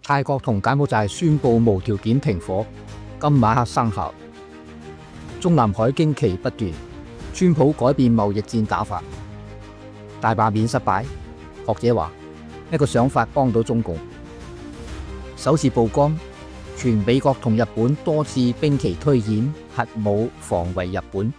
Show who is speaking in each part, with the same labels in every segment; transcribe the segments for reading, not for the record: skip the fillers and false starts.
Speaker 1: 泰國同柬埔寨宣布無條件停火，今晚黑生效。中南海驚奇不斷，川普改變貿易戰打法，大罷免失敗。學者話一個想法幫到中共。首次曝光，全美國同日本多次兵棋推演核武防衛日本。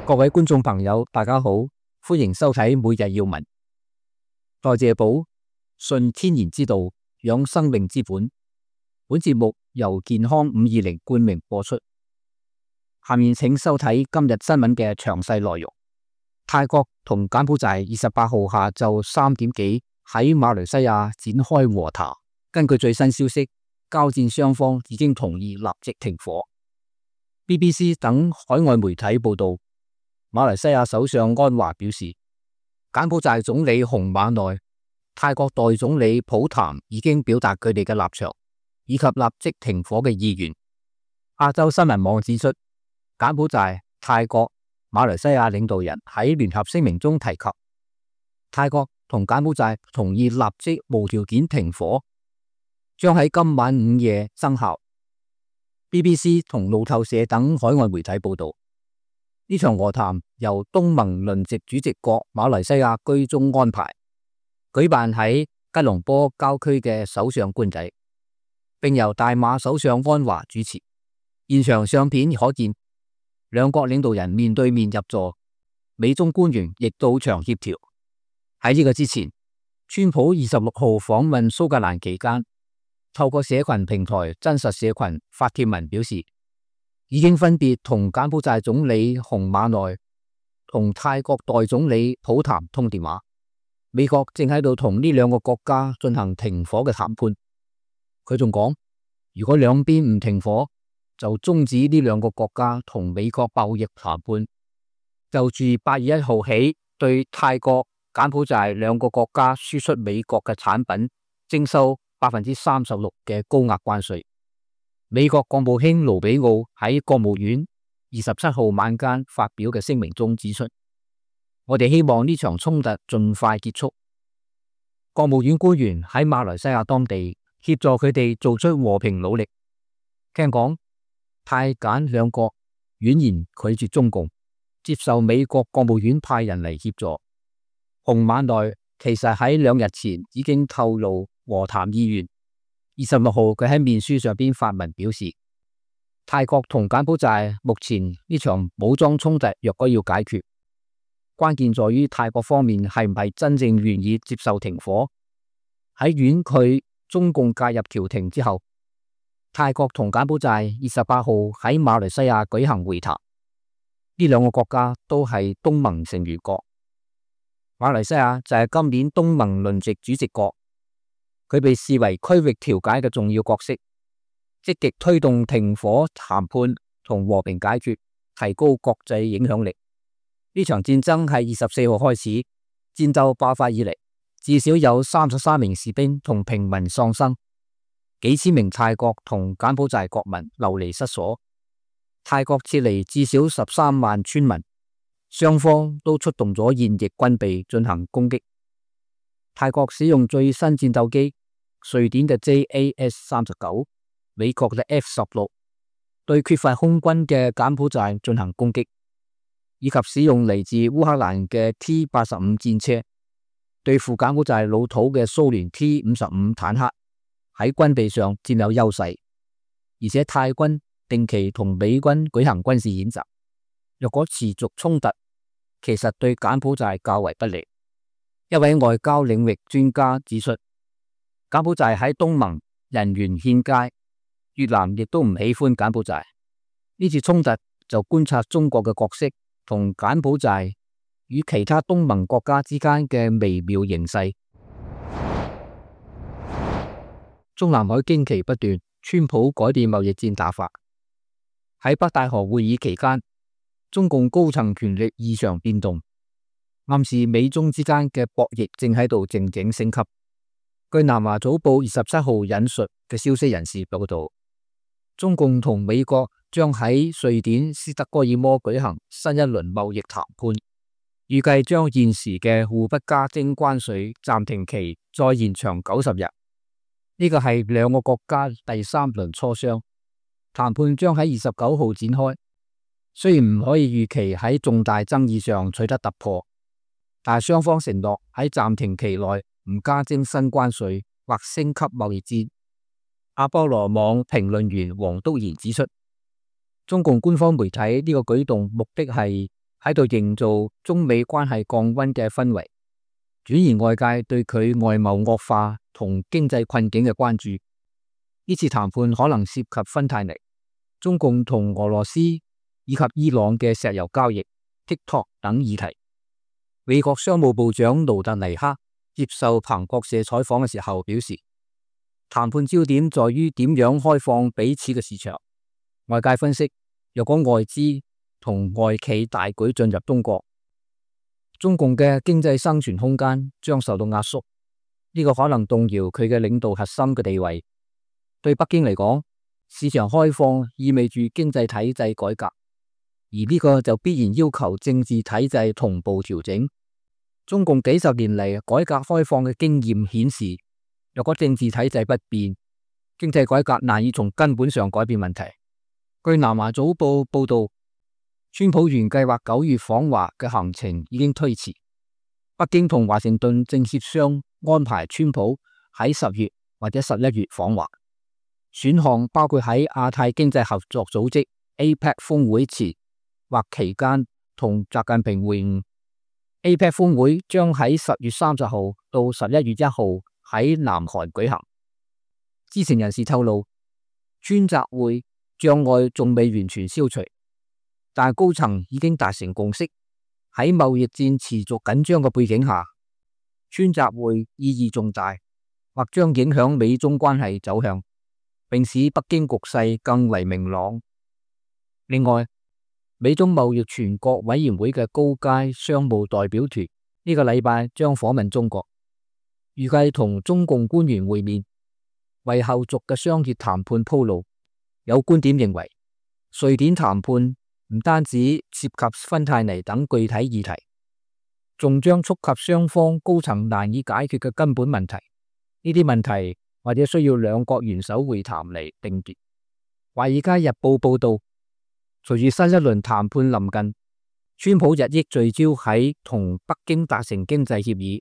Speaker 1: 各位觀眾朋友，大家好，歡迎收睇每日要聞。代謝寶，順天然之道，養生命之本。本節目由健康520冠名播出。下面請收睇今日新聞嘅詳細內容。泰國同柬埔寨28號下晝3點幾喺馬來西亞展開和談。根據最新消息，交戰雙方已經同意立即停火。BBC 等海外媒體報道，馬來西亞首相安華表示，柬埔寨總理洪瑪奈、泰國代總理普譚已經表達佢哋嘅立場，以及立即停火嘅意願。亞洲新聞網指出，柬埔寨、泰國、馬來西亞領導人喺聯合聲明中提及，泰國同柬埔寨同意立即無條件停火，將喺今晚午夜生效。BBC 同路透社等海外媒體報道，呢場和談由東盟輪值主席國馬來西亞居中安排，舉辦喺吉隆坡郊區嘅首相官邸，並由大馬首相安華主持。現場相片可見，兩國領導人面對面入座，美中官員亦到場協調。喺呢個之前，川普26號訪問蘇格蘭期間，透過社群平台真實社群發帖文表示，已經分別同柬埔寨總理洪瑪奈同泰國代總理普譚通電話。美國正喺度同呢兩個國家進行停火嘅談判。佢仲講，如果兩邊唔停火，就終止呢兩個國家同美國貿易談判。就住8月1號起對泰國、柬埔寨兩個國家輸出美國嘅產品徵收36%嘅高額關稅。美國國務卿盧比奧喺國務院27號晚間發表嘅聲明中指出，我哋希望呢場衝突盡快結束。國務院官員喺馬來西亞當地協助佢哋做出和平努力。聽講泰柬兩國婉言拒絕中共，接受美國國務院派人嚟協助。洪瑪奈其實喺2日前已經透露和談意願。26號佢喺面書上邊發文表示，泰國同柬埔寨目前呢場武裝衝突若果要解決，關鍵在於泰國方面係唔係真正願意接受停火。喺婉拒中共介入調停之後，泰國同柬埔寨28號喺馬來西亞舉行會談。呢兩個國家都係東盟成員國，馬來西亞就係今年東盟輪值主席國。佢被視為區域調解嘅重要角色，積極推動停火談判同和平解決，提高國際影響力。呢場戰爭係24號開始，戰鬥爆發以嚟，至少有33名士兵同平民喪生，幾千名泰國同柬埔寨國民流離失所。泰國撤離至少13萬村民，雙方都出動咗現役軍備進行攻擊。泰國使用最新戰鬥機，瑞典嘅 JAS-39，美國嘅 F-16，對缺乏空軍嘅柬埔寨進行攻擊，以及使用嚟自烏克蘭嘅 T-85 戰車，對付柬埔寨老土嘅蘇聯 T-55 坦克，喺軍備上佔有優勢。而且泰軍定期同美軍舉行軍事演習，若果持續衝突，其實對柬埔寨較為不利。一位外交領域專家指出，柬埔寨喺東盟人緣欠佳，越南亦都唔喜歡柬埔寨。呢次衝突就觀察中國嘅角色同柬埔寨與其他東盟國家之間嘅微妙形勢。中南海驚奇不斷，川普改變貿易戰打法。喺北戴河會議期間，中共高層權力異常變動，暗示美中之間嘅博弈正喺度靜靜升級。據南華早報27號引述嘅消息人士報道，中共同美國將喺瑞典斯德哥爾摩舉行新一輪貿易談判，預計將現時嘅互不加徵關稅暫停期再延長90日。呢個係兩個國家第3輪磋商，談判將喺29號展開。雖然唔可以預期喺重大爭議上取得突破，但係雙方承諾喺暫停期內唔加徵新關稅或升級貿易戰。阿波羅網評論員黃篤賢指出，中共官方媒體呢個舉動目的係喺度營造中美關係降溫嘅氛圍，轉移外界對佢外貿惡化同經濟困境嘅關注。呢次談判可能涉及芬太尼、中共同俄羅斯以及伊朗嘅石油交易、TikTok 等議題。美國商務部長盧特尼克接受彭博社採訪嘅時候表示，談判焦點在於點樣開放彼此嘅市場。外界分析，若果外資同外企大舉進入中國，中共嘅經濟生存空間將受到壓縮，呢個可能動搖佢嘅領導核心嘅地位。對北京嚟講，市場開放意味住經濟體制改革，而呢個就必然要求政治體制同步調整。中共幾十年嚟改革開放嘅經驗顯示，若果政治體制不變，經濟改革難以從根本上改變問題。據南華早報報道，川普原計劃9月訪華嘅行程已經推遲，北京同華盛頓正協商安排川普喺10月或者11月訪華，選項包括喺亞太經濟合作組織 APEC 峰會前或期間同習近平會晤。APEC 峰會將喺10月30號到11月1號喺南韓舉行。知情人士透露，川習會障礙仲未完全消除，但高層已經達成共識。喺貿易戰持續緊張嘅背景下，川習會意義重大，或將影響美中關係走向，並使北京局勢更為明朗。另外，美中貿易全國委員會嘅高階商務代表團呢個禮拜將訪問中國，預計同中共官員會面，為後續嘅商業談判鋪路。有觀點認為，瑞典談判唔單止涉及芬太尼等具體議題，仲將觸及雙方高層難以解決嘅根本問題。呢啲問題或者需要兩國元首會談嚟定奪。華爾街日報報道，隨住新一輪談判臨近，川普日益聚焦喺同北京達成經濟協議，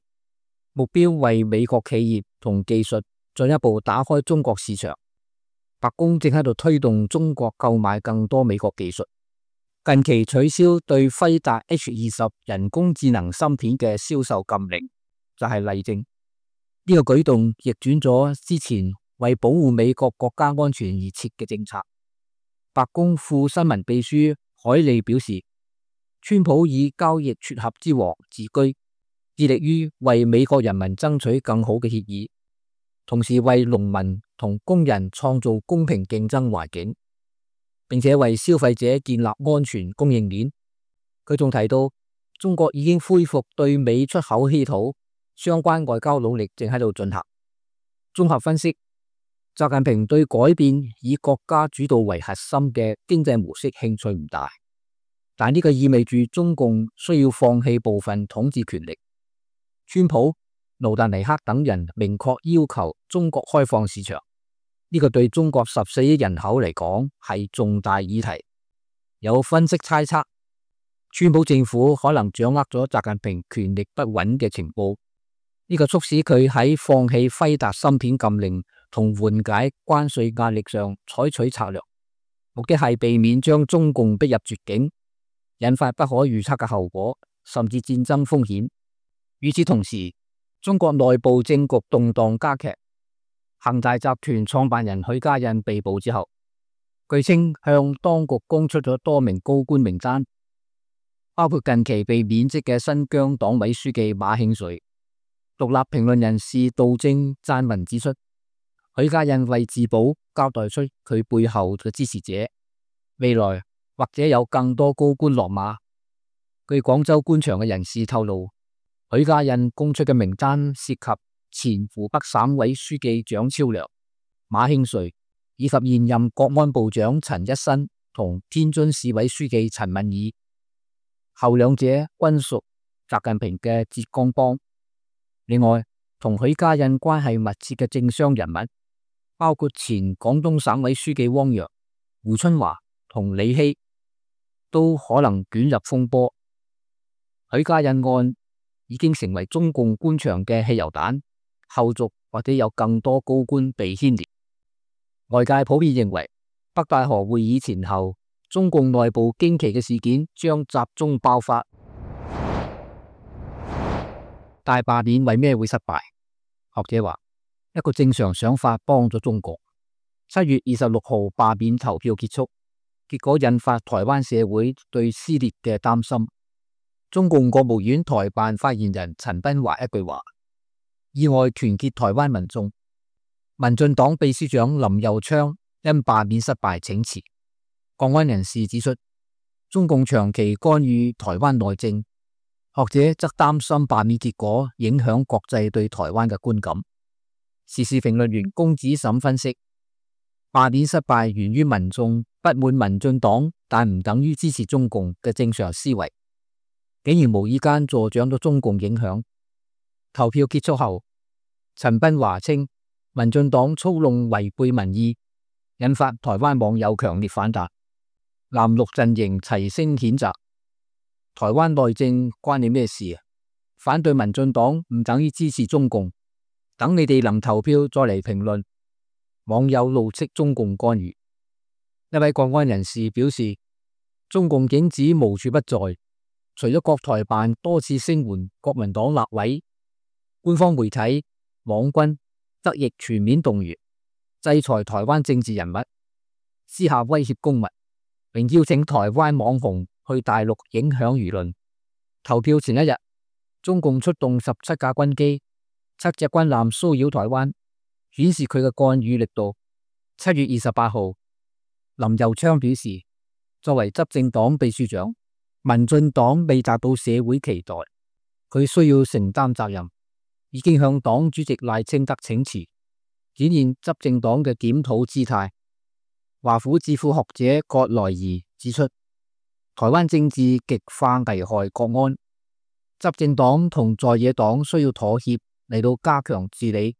Speaker 1: 目標為美國企業同技術進一步打開中國市場。白宮正喺度推動中國購買更多美國技術，近期取消對輝達 H20人工智能芯片嘅銷售禁令就係例證。呢個舉動逆轉咗之前為保護美國國家安全而設嘅政策。白宮副新聞秘書海利表示，川普以交易撮合之王自居，致力於為美國人民爭取更好嘅協議，同時為農民同工人創造公平競爭環境，並且為消費者建立安全供應鏈。佢仲提到，中國已經恢復對美出口稀土，相關外交努力正喺度進行。綜合分析，習近平對改變以國家主導為核心嘅經濟模式興趣唔大，但呢個意味住中共需要放棄部分統治權力。川普、盧特尼克等人明確要求中國開放市場，呢個對中國14億人口嚟講係重大議題。有分析猜測，川普政府可能掌握咗習近平權力不穩嘅情報，呢個促使佢喺放棄輝達芯片禁令同緩解關稅壓力上採取策略，目的係避免將中共逼入絕境，引發不可預測嘅後果，甚至戰爭風險。與此同時，中國內部政局動盪加劇。恒大集團創辦人許家印被捕之後，據稱向當局供出咗多名高官名單，包括近期被免職嘅新疆黨委書記馬慶瑞。獨立評論人士杜正撰文指出，許家印為自保交代出佢背後嘅支持者，未來或者有更多高官落馬。據廣州官場嘅人士透露，許家印供出嘅名單涉及前湖北省委書記蔣超良、馬慶瑞以及現任國安部長陳一新同天津市委書記陳敏爾，後兩者均屬習近平嘅浙江幫。另外，同同許家印關係密切嘅政商人物，包括前廣東省委書記汪洋、胡春華同李希，都可能捲入風波。許家印案已經成為中共官場嘅汽油彈，後續或者有更多高官被牽連。外界普遍認為，北戴河會議前後，中共內部驚奇嘅事件將集中爆發。大罷免為咩會失敗？學者話，一個正常想法幫咗中國。7月26號罷免投票結束，結果引發台灣社會對撕裂嘅擔心。中共國務院台辦發言人陳斌華一句話，意外團結台灣民眾。民進黨秘書長林右昌因罷免失敗請辭。國安人士指出，中共長期干預台灣內政，學者則擔心罷免結果影響國際對台灣嘅觀感。時事評論員龔子沈分析，罷免失敗源於民眾不滿民進黨，但唔等於支持中共嘅正常思維，竟然無意間助長咗中共影響。投票結束後，陳斌華稱民進黨操弄違背民意，引發台灣網友強烈反彈，藍綠陣營齊聲譴責。台灣內政關你咩事啊？反對民進黨唔等於支持中共，等你哋能投票再嚟評論。網友怒斥中共干預。一位國安人士表示，中共影子無處不在，除咗國台辦多次聲援國民黨立委，官方媒體、網軍則亦全面動員，制裁台灣政治人物，私下威脅公民，並邀請台灣網紅去大陸影響輿論。投票前一日，中共出動17架軍機、7隻軍艦騷擾台灣，顯示佢嘅干預力度。7月28號，林右昌表示，作為執政黨秘書長，民進黨未達到社會期待，佢需要承擔責任，已經向黨主席賴清德請辭，展現執政黨嘅檢討姿態。華府智庫學者葛萊儀指出，台灣政治極化危害國安，執政黨同在野黨需要妥協嚟到加強治理。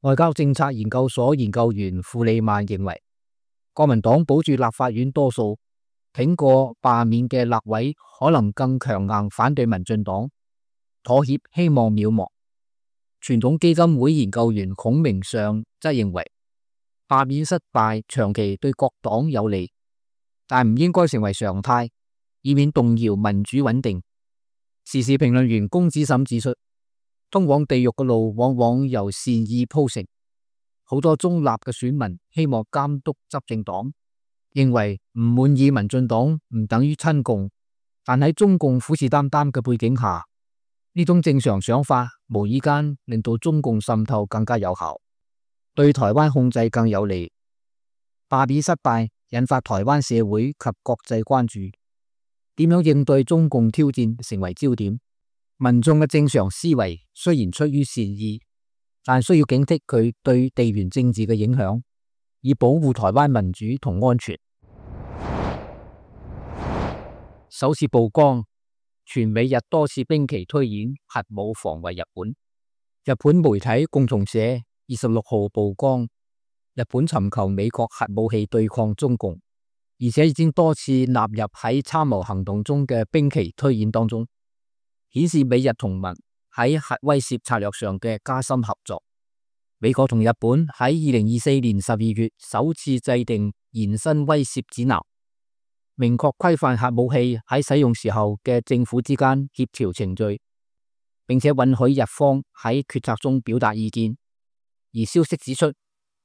Speaker 1: 外交政策研究所研究員傅利曼認為，國民黨保住立法院多數，挺過罷免嘅立委可能更強硬反對民進黨，妥協希望渺茫。傳統基金會研究員孔明尚則認為，罷免失敗長期對各黨有利，但唔應該成為常態，以免動搖民主穩定。時事評論員龔子沈指出，通往地獄嘅路往往由善意鋪成，好多中立嘅選民希望監督執政黨，認為唔滿意民進黨唔等於親共，但喺中共虎視眈眈嘅背景下，呢種正常想法無意間令到中共滲透更加有效，對台灣控制更有利。罷免失敗引發台灣社會及國際關注，點樣應對中共挑戰成為焦點。民眾嘅正常思維雖然出於善意，但需要警惕佢對地緣政治嘅影響，以保護台灣民主同安全。首次曝光，全美日多次兵棋推演核武防衛日本。日本媒體共同社26號曝光，日本尋求美國核武器對抗中共，而且已經多次納入喺參謀行動中嘅兵棋推演當中，顯示美日同盟喺核威懾策略上嘅加深合作。美國同日本喺2024年12月首次制定延伸威懾指南，明確規範核武器喺使用時候嘅政府之間協調程序，並且允許日方喺決策中表達意見。而消息指出，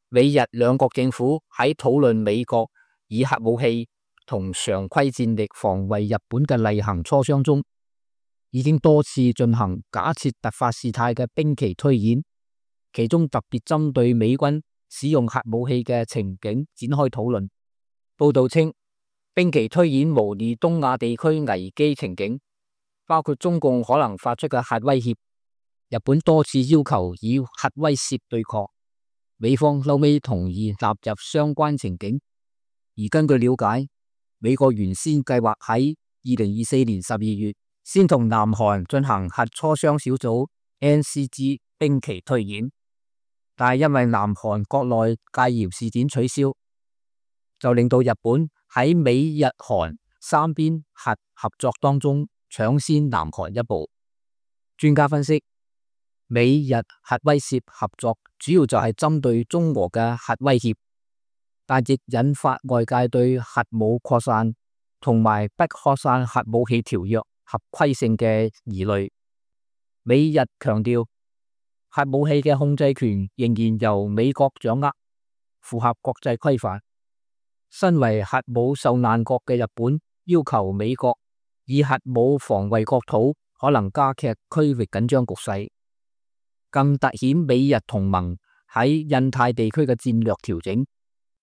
Speaker 1: 美日兩國政府喺討論美國以核武器同常規戰力防衛日本嘅例行磋商中，已經多次進行假設突發事態嘅兵棋推演，其中特別針對美軍使用核武器嘅情景展開討論。報道稱，兵棋推演模擬東亞地區危機情景，包括中共可能發出嘅核威脅，日本多次要求以核威懾對抗，美方後尾同意納入相關情景。而根據了解，美國原先計劃喺2024年12月先同南韓進行核磋商小組 NCG 兵棋推演，但係因為南韓國內戒嚴事件取消，就令到日本喺美日韓三邊核合作當中搶先南韓一步。專家分析，美日核威懾合作主要就係針對中俄嘅核威脅，但亦引發外界對核武擴散同埋不擴散核武器條約合規性嘅疑慮。美日強調核武器嘅控制權仍然由美國掌握，符合國際規範。身為核武受難國嘅日本要求美國以核武防衛國土，可能加劇區域緊張局勢，更凸顯美日同盟喺印太地區嘅戰略調整。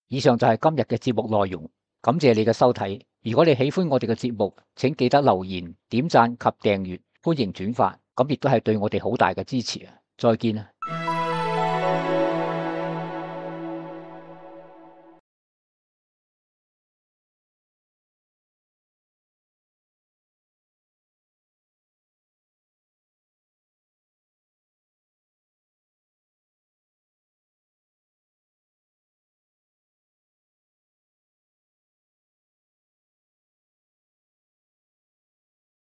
Speaker 1: 以上就係今日嘅節目內容，感謝你嘅收睇。如果你喜歡我哋嘅節目，請記得留言、點讚及訂閱，歡迎轉發，咁亦都係對我哋好大嘅支持啊！再見啊！